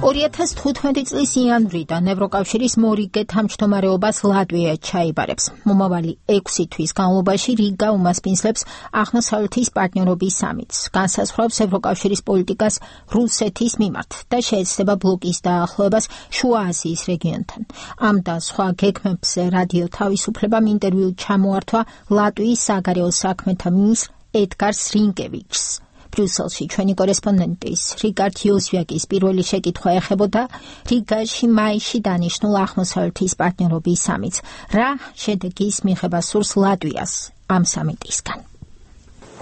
2015 წლის იანვრიდან ევროკავშირის მორიგე თავმჯდომარეობას ლატვია ჩაიბარებს. მომავალი 6 თვის განმავლობაში რიგა უმასპინძლებს აღმოსავლეთის პარტნიორობის სამიტს, განსაზღვრავს ევროკავშირის პოლიტიკას რუსეთის მიმართ და შეეცდება ბლოკის დაახლოებას შუა აზიის რეგიონთან. ამ და სხვა გეგმებზე რადიო თავისუფლებამ ინტერვიუ ჩამოართვა ლატვიის საგარეო საქმეთა მინისტრ ედგარ სრინკევიჩს. ბრიუსელში ჩვენი კორესპონდენტის რიგარდ იოზვიაკის პირველი შეკითხვა ეხებოდა რიგაში მაისში დანიშნულ აღმოსავლეთის პარტნიორობის სამიტს. რა შედეგის მიღება სურს ლატვიას ამ სამიტისგან?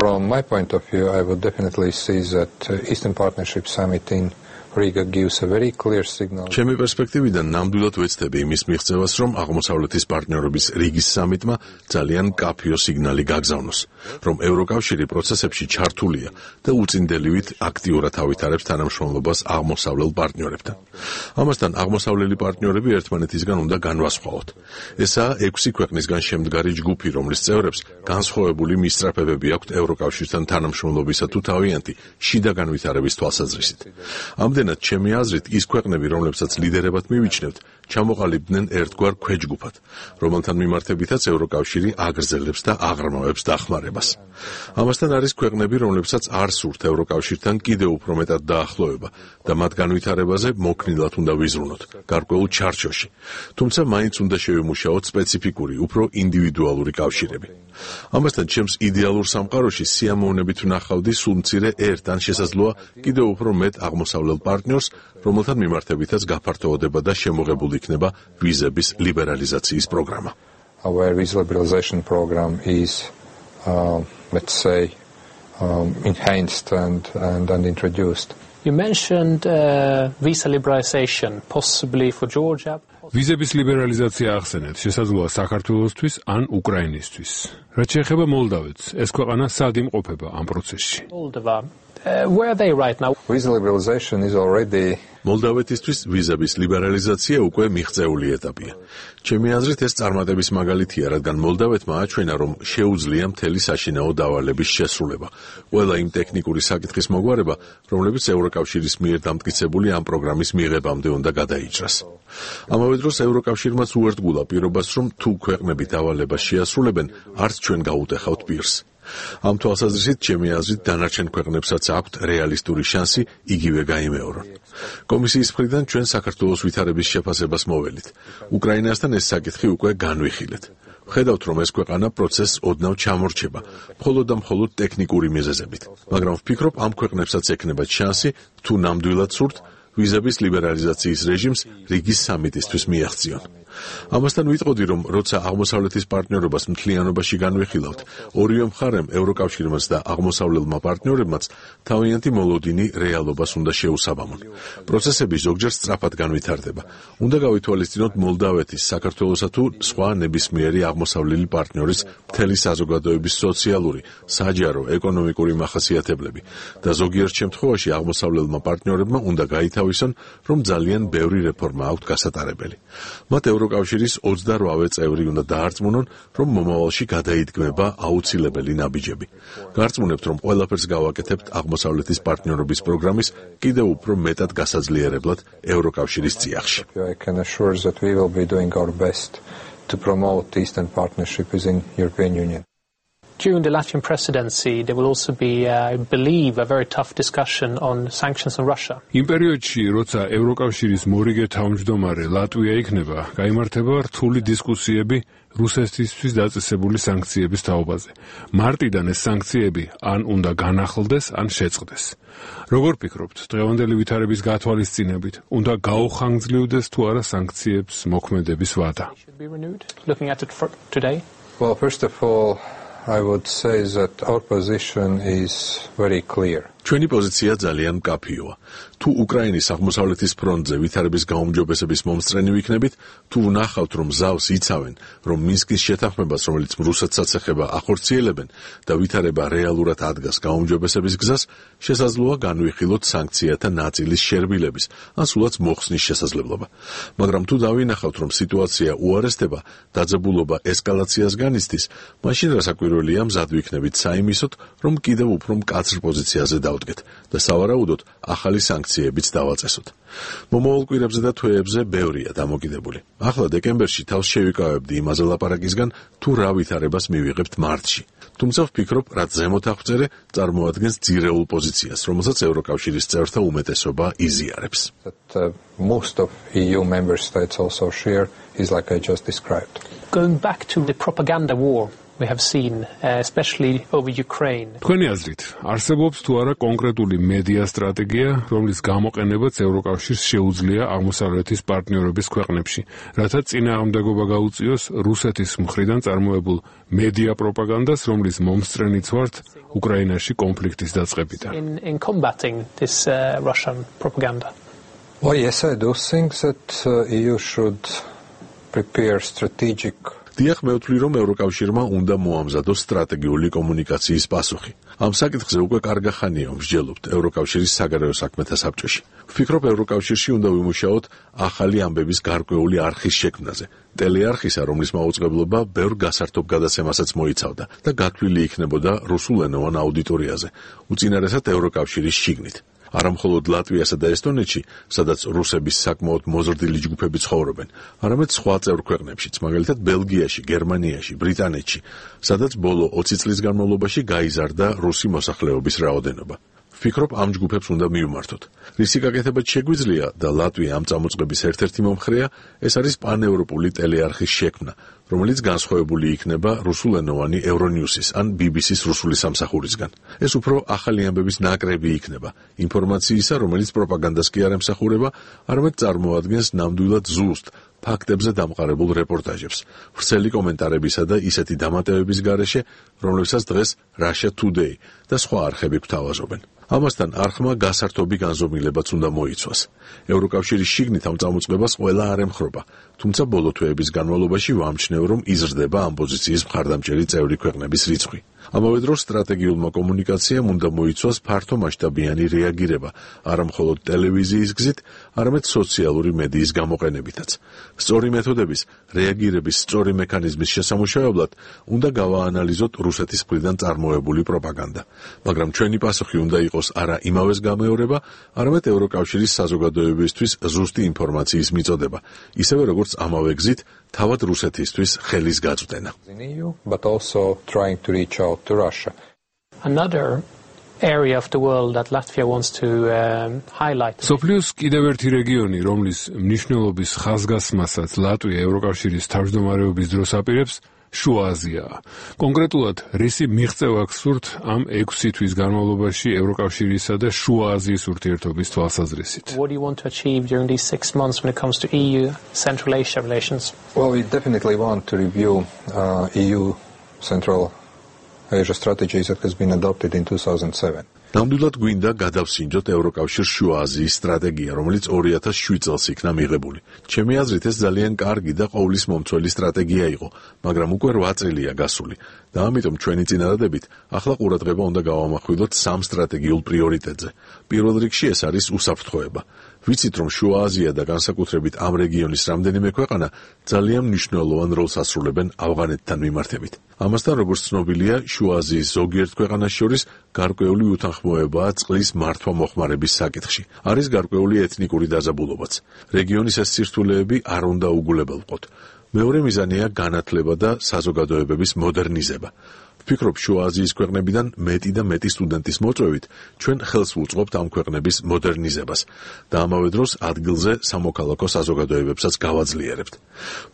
From my point of view, I would definitely see that Eastern Partnership Summit in Riga gives a very clear signal. ჩემი პერსპექტივიდან ნამდვილად ვეცდები იმის მიღწევას, რომ აღმოსავლეთის პარტნიორობის რიგის სამიტმა ძალიან კაფიო სიგნალი გაგზავნოს, რომ ევროკავშირი პროცესებში ჩართულია და უწინდელივით აქტიურად ავითარებს თანამშრომლობას აღმოსავლელ პარტნიორებთან. ამასთან აღმოსავლელი პარტნიორები ერთმანეთისგან უნდა განვასხვაოთ. ესაა 6 ქვეყნისგან შემდგარი ჯგუფი, რომლის წევრებს განსხვავებული მისწრაფებები აქვთ ევროკავშირთან თანამშრომლობისა თუ თავიანთი შიდა განვითარების თვალსაზრისით. ამდენად ჩემი აზრით ის ქვეყნები, რომლებსაც ლიდერებად მივიჩნევთ, ჩამოყალიბდნენ ერთგვარ ქვეჯგუფად, რომელთან მიმართებითაც ევროკავშირი აგრძელებს და აღრმავებს დახმარებას. ამასთან არის ქვეყნები, რომლებსაც არ სურთ ევროკავშირთან კიდევ უფრო მეტად დაახლოება და მათ განვითარებაზე მოქნილად უნდა ვიზრუნოთ, გარკვეულ ჩარჩოში. თუმცა მაინც უნდა შევიმუშაოთ სპეციფიკური, უფრო ინდივიდუალური კავშირები. ამასთან ჩემს იდეალურ სამყაროში სიამოვნებით ვნახავდი სულ მცირე ერთ ან შესაძლოა კიდევ უფრო მეტ აღმოსავლელ პარტნიორს, რომელთან მიმართებითაც გაფართოვდება და შემოღებული იქნება ვიზების ლიბერალიზაციის პროგრამა. Our visa liberalization program is, let's say, enhanced and introduced. You mentioned visa liberalization, possibly for Georgia. ვიზების ლიბერალიზაცია ახსენეთ, შესაძლოა საქართველოსთვის ან უკრაინისთვის. რაც შეეხება მოლდავეთს, ეს ქვეყანა სად იმყოფება ამ პროცესში? Moldova. Where are they right now? Visa liberalization is already მოლდავეთისთვის ვიზების ლიბერალიზაცია უკვე მიღწეული ეტაპია. ჩემი აზრით ეს წარმატების მაგალითია, რადგან მოლდავეთმა აჩვენა, რომ შეუძლია მთელი საშინაო დავალების შესრულება. ყველა იმ ტექნიკური საკითხის მოგვარება, რომლებიც ევროკავშირის მიერ დამტკიცებული ამ პროგრამის მიღებამდე უნდა გადაიჭრას. ამავე დროს ევროკავშირმაც უერთგულა პირობას, რომ თუ ქვეყნები დავალებას შეასრულებენ, არც ჩვენ გაუტეხავთ პირს. ამ თვალსაზრისით ჩემი აზრით დანარჩენ ქვეყნებსაც აქვთ რეალისტური შანსი იგივე გაიმეორონ. კომისიის მხრიდან ჩვენ საქართველოს ვითარების შეფასებას მოველით. უკრაინასთან ეს საკითხი უკვე განვიხილეთ. ვხედავთ, რომ ეს ქვეყანა პროცესს ოდნავ ჩამორჩება, მხოლოდ და მხოლოდ ტექნიკური მიზეზებით. მაგრამ ვფიქრობ, ამ ქვეყნებსაც ექნებათ შანსი, თუ ნამდვილად სურთ, ვიზების ლიბერალიზაციის რეჟიმს რიგის სამიტისთვის მიაღწიონ. ამასთან ვიტყოდი, რომ როცა აღმოსავლეთის პარტნიორობას მთლიანობაში განვიხილავთ, ორივე მხარემ, ევროკავშირმაც და აღმოსავლელმა პარტნიორებმაც თავიანთი მოლოდინი რეალობას უნდა შეუსაბამონ. პროცესები ზოგჯერ სწრაფად განვითარდება. უნდა გავითვალისწინოთ მოლდავეთის, საქართველოსა თუ სხვა ნებისმიერი აღმოსავლელი პარტნიორის მთელი საზოგადოების სოციალური, საჯარო, ეკონომიკური მახასიათებლები და ზოგიერთ შემთხვევაში აღმოსავლელმა პარტნიორებმა უნდა გაითავისონ, რომ ძალიან ბევრი რეფორმა აქვთ გასატარებელი. მათ ევროკავშირის 28 წევრი უნდა დაარწმუნონ, რომ მომავალში გადაიდგმება აუცილებელი ნაბიჯები. გარწმუნებთ, რომ ყველაფერს გავაკეთებთ აღმოსავლეთის პარტნიორობის პროგრამის კიდევ უფრო მეტად გასაძლიერებლად ევროკავშირის წიაღში. I can assure that we will be doing our best to promote Eastern Partnership within European Union. During the Latvian presidency, there will also be, I believe, a very tough discussion on sanctions on Russia. იმ პერიოდში, როცა ევროკავშირის მორიგე თავმჯდომარე ლატვია იქნება, გაიმართება რთული დისკუსიები რუსეთისთვის დაწესებული სანქციების თაობაზე. მარტიდან ეს სანქციები ან უნდა განახლდეს, ან შეწყდეს. როგორ ფიქრობთ, დღევანდელი ვითარების გათვალისწინებით, უნდა გაუხანგრძლივდეს თუ არა სანქციებს მოქმედების ვადა? Looking at it today? Well, first of all, I would say that our position is very clear. ჩვენი პოზიცია ძალიან მკაფიოა. თუ უკრაინის აღმოსავლეთის ფრონტზე ვითარების გაუმჯობესების მომსწრენი ვიქნებით, თუ ვნახავთ, რომ ზავს იცავენ, რომ მინსკის შეთანხმებას, რომელიც რუსეთსაც ეხება, ახორციელებენ და ვითარება რეალურად ადგას გაუმჯობესების გზას, შესაძლოა განვიხილოთ სანქციათა ნაწილის შერბილების, ან სულაც მოხსნის შესაძლებლობა. მაგრამ თუ დავინახავთ, რომ სიტუაცია უარესდება, დაძაბულობა ესკალაციას განიცდის, მაშინ რასაკვირველია მზად ვიქნებით საიმისოდ, რომ კიდევ უფრო მკაცრ პოზიციაზე დავდგეთ და სავარაუდოდ ახალი სანქციებიც დავაწესოთ. მომავალ კვირებზე და თვეებზე ბევრია დამოკიდებული. ახლა დეკემბერში თავს შევიკავებდი იმაზე ლაპარაკისგან, თუ რა ვითარებას მივიღებთ მარტში. თუმცა ვფიქრობ, რაც ზემოთ აღწერე, წარმოადგენს ძირეულ პოზიციას, რომელსაც ევროკავშირის წევრთა უმეტესობა იზიარებს. Most of EU member states also share is like I just described. Going back to the propaganda war we have seen, especially over Ukraine. თქვენი აზრით, არსებობს თუ არა კონკრეტული მედია სტრატეგია, რომლის გამოყენებაც ევროკავშირს შეუძლია აღმოსავლეთის პარტნიორების ქვეყნებში, რათა წინააღმდეგობა გაუწიოს რუსეთის მხრიდან წარმოებულ მედია პროპაგანდას, რომლის მომსწრენიც ვართ უკრაინაში კონფლიქტის დაწყებიდან. In combating this Russian propaganda. Well, yes, I do think that EU should prepare strategic. დიახ, მე ვთვლი, რომ ევროკავშირმა უნდა მოამზადოს სტრატეგიული კომუნიკაციის პასუხი. ამ საკითხზე უკვე კარგა ხანია ვმსჯელობთ ევროკავშირის საგარეო საქმეთა საბჭოში. ვფიქრობ, ევროკავშირში უნდა ვიმუშაოთ ახალი ამბების გარკვეული არხის შექმნაზე. ტელეარხისა, რომლის მაუწყებლობა ბევრ გასართობ გადაცემასაც მოიცავდა და გათვლილი იქნებოდა რუსულენოვან აუდიტორიაზე, უწინარესად ევროკავშირის შიგნით. არა მხოლოდ ლატვიასა და ესტონეთში, სადაც რუსების საკმაოდ მოზრდილი ჯგუფები ცხოვრობენ, არამედ სხვა წევრ ქვეყნებშიც, მაგალითად ბელგიაში, გერმანიაში, ბრიტანეთში, სადაც ბოლო 20 წლის განმავლობაში გაიზარდა რუსი მოსახლეობის რაოდენობა. ვფიქრობ, ამ ჯგუფებს უნდა მივმართოთ. რისი გაკეთებაც შეგვიძლია და ლატვია ამ წამოწყების ერთ-ერთი მომხრეა, ეს არის პანევროპული ტელეარხის შექმნა, რომელიც განსხვავებული იქნება რუსულენოვანი Euronews-ის ან BBC-ის რუსული სამსახურისგან. ეს უფრო ახალი ამბების ნაკრები იქნება, ინფორმაციისა, რომელიც პროპაგანდას კი არ ემსახურება, არამედ წარმოადგენს ნამდვილად ზუსტ ფაქტებზე დამყარებულ რეპორტაჟებს, ვრცელი კომენტარებისა და ისეთი დამატებების გარეშე, რომლებსაც დღეს Russia Today და სხვა არხები გვთავაზობენ. ამასთან არხმა გასართობი განზომილებაც უნდა მოიცვას. ევროკავშირის შიგნით ამ წამოწყებას ყველა არ ემხრობა, თუმცა ბოლო თვეების განმავლობაში ვამჩნევ, რომ იზრდება ამ პოზიციის მხარდამჭერი წევრი ქვეყნების რიცხვი. ამავე დროს სტრატეგიულმა კომუნიკაციამ უნდა მოიცვას ფართო მასშტაბიანი რეაგირება, არა მხოლოდ ტელევიზიის გზით, არამედ სოციალური მედიის გამოყენებითაც. სწორი მეთოდების, რეაგირების სწორი მექანიზმის შესამუშავებლად უნდა გავაანალიზოთ რუსეთის მხრიდან წარმოებული პროპაგანდა, მაგრამ ჩვენი პასუხი უნდა იყოს არა იმავეს გამეორება, არამედ ევროკავშირის საზოგადოებისთვის ზუსტი ინფორმაციის მიწოდება, ისევე როგორც ამავე გზით თავად რუსეთისთვის ხელის გაწვდენა. But also trying to reach out to Russia. Another area of the world that Latvia wants to highlight. სოფლიოს კიდევ ერთი რეგიონი, რომლის მნიშვნელობის ხაზგასმასაც ლატვია ევროკავშირის თავმჯდომარეობის დროს აპირებს, შუა აზიაა. კონკრეტულად, რისი მიღწევა გსურთ ამ 6 თვის განმავლობაში ევროკავშირისა და შუა აზიის ურთიერთობის თვალსაზრისით? What do you want to achieve during these 6 months when it comes to EU Central Asia relations? Well, we definitely want to review EU Central Asia strategy that has been adopted in 2007. ნამდვილად გვინდა გადავსინჯოთ ევროკავშირს შუა აზიის სტრატეგია, რომელიც 2007 წელს იქნა მიღებული. ჩემი აზრით, ეს ძალიან კარგი და ყოვლის მომცველი სტრატეგია იყო, მაგრამ უკვე 8 წელია გასული და ამიტომ ჩვენი წინადადებით ახლა ყურადღება უნდა გავამახვილოთ 3 სტრატეგიულ პრიორიტეტზე. პირველ რიგში ეს არის უსაფრთხოება. ვიცით, რომ შუა აზია და განსაკუთრებით ამ რეგიონის რამდენიმე ქვეყანა ძალიან მნიშვნელოვან როლს ასრულებენ ავღანეთთან მიმართებით. ამასთან, როგორც ცნობილია, შუა აზიის ზოგიერთ ქვეყანას შორის გარკვეული უთანხმოებაა წყლის მართვა-მოხმარების საკითხში. არის გარკვეული ეთნიკური დაძაბულობაც. რეგიონის ეს სირთულეები არ უნდა უგულებელყოთ. მეორე მიზანია განათლება და საზოგადოებების მოდერნიზება. ვფიქრობ, შუა აზიის ქვეყნებიდან მეტი და მეტი სტუდენტის მოწვევით ჩვენ ხელს ვუწყობთ ამ ქვეყნების მოდერნიზებას და ამავე დროს ადგილზე სამოქალაქო საზოგადოებებსაც გავაძლიერებთ.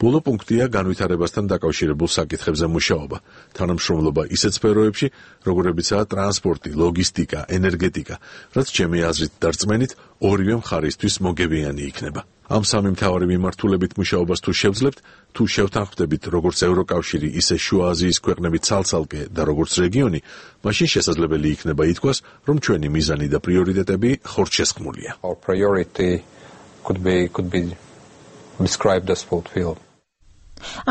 ბოლო პუნქტია განვითარებასთან დაკავშირებულ საკითხებზე მუშაობა, თანამშრომლობა ისეთ სფეროებში, როგორებიცაა ტრანსპორტი, ლოგისტიკა, ენერგეტიკა, რაც ჩემი აზრით და რწმენით ორივე მხარისთვის მოგებიანი იქნება. ამ სამი მთავარი მიმართულებით მუშაობას თუ შევძლებთ, თუ შევთანხმდებით როგორც ევროკავშირი, ისე შუა აზიის ქვეყნები ცალ-ცალკე და როგორც რეგიონი, მაშინ შესაძლებელი იქნება ითქვას, რომ ჩვენი მიზანი და პრიორიტეტები ხორცშესხმულია. Our priority could be described as fulfilled.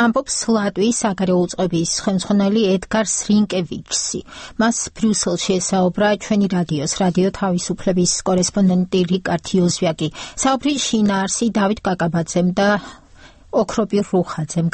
ამბობს ლატვიის საგარეო უწყების ხელმძღვანელი ედგარ სრინკევიჩსი. მას ბრიუსელში ესაუბრა ჩვენი რადიო თავისუფლების კორესპონდენტი რიკარდ იოზვიაკი. საუბრის შინაარსი დავით კაკაბაძემ და ოქროპირ რუხაძემ